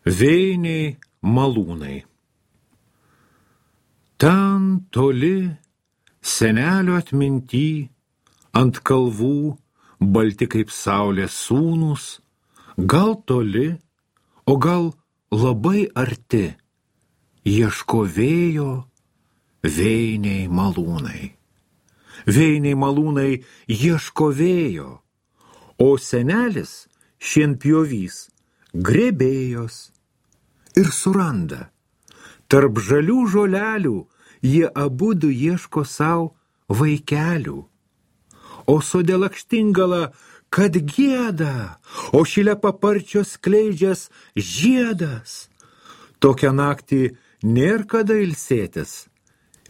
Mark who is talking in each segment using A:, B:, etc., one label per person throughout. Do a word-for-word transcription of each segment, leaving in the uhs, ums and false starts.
A: Vėjiniai malūnai. Ten toli senelio atminty, ant kalvų, balti kaip saulės sūnūs, gal toli, o gal labai arti, ieško vėjo vėjiniai malūnai. Vėjiniai malūnai ieško vėjo, o senelis šienpjovys grėbėjos ir suranda. Tarp žalių žolelių jie abudu ieško savo vaikelių. O sode lakštingala, kad gieda, o šile paparčios skleidžias žiedas. Tokią naktį nėr kada ilsėtis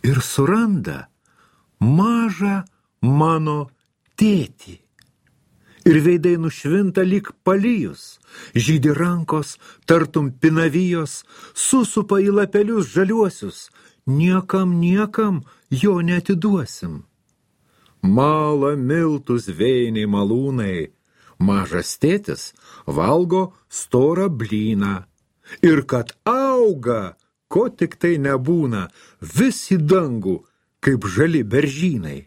A: ir suranda mažą mano tėtį. Ir veidai nušvinta lyg palijus, žydi rankos, tartum pinavijos, susupa į lapelius žaliuosius, niekam, niekam jo neatiduosim. Mala miltus vėjiniai malūnai, mažas tėtis valgo storą blyną, ir kad auga, ko tik tai nebūna, vis į dangų, kaip žali beržynai.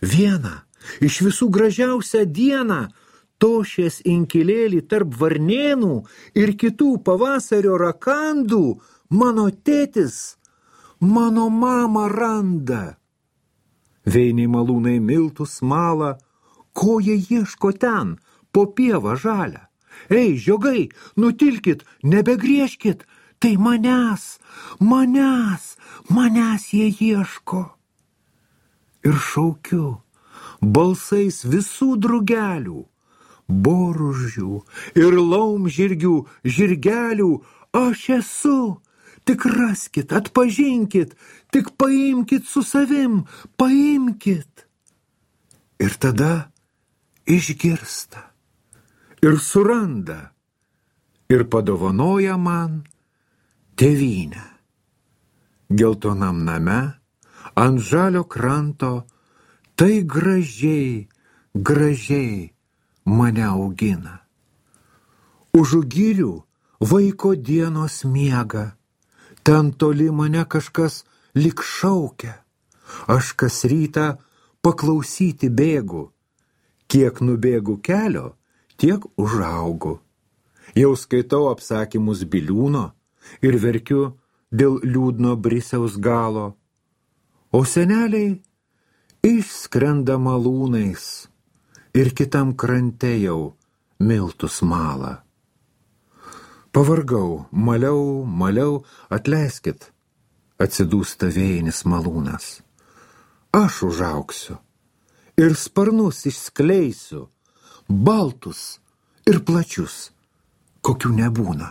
A: Viena iš visų gražiausią dieną tošės inkilėlį tarp varnėnų ir kitų pavasario rakandų mano tėtis mano mamą randa. Vėjiniai malūnai miltus mala, ko jie ieško ten, po pievą žalę. Ei, žiogai, nutilkit, nebegriežkit, tai manęs, manęs, manęs jie ieško. Ir šaukiu balsais visų drugelių, boružių ir laumžirgių, žirgelių, aš esu, tik raskit, atpažinkit, tik paimkit su savim, paimkit. Ir tada išgirsta, ir suranda, ir padovanoja man tėvynę. Geltonam name, ant žalio kranto, tai gražiai, gražiai mane augina. Už girių vaiko dienos miega, ten toli mane kažkas lyg šaukia. Aš kas rytą paklausyti bėgu, kiek nubėgu kelio, tiek užaugu. Jau skaitau apsakymus Biliūno ir verkiu dėl liūdno brisiaus galo, o seneliai išskrenda malūnais ir kitam krante jau miltus mala. Pavargau, maliau, maliau, atleiskit, atsidūsta vėjinis malūnas. Aš užaugsiu ir sparnus išskleisiu, baltus ir plačius, kokių nebūna.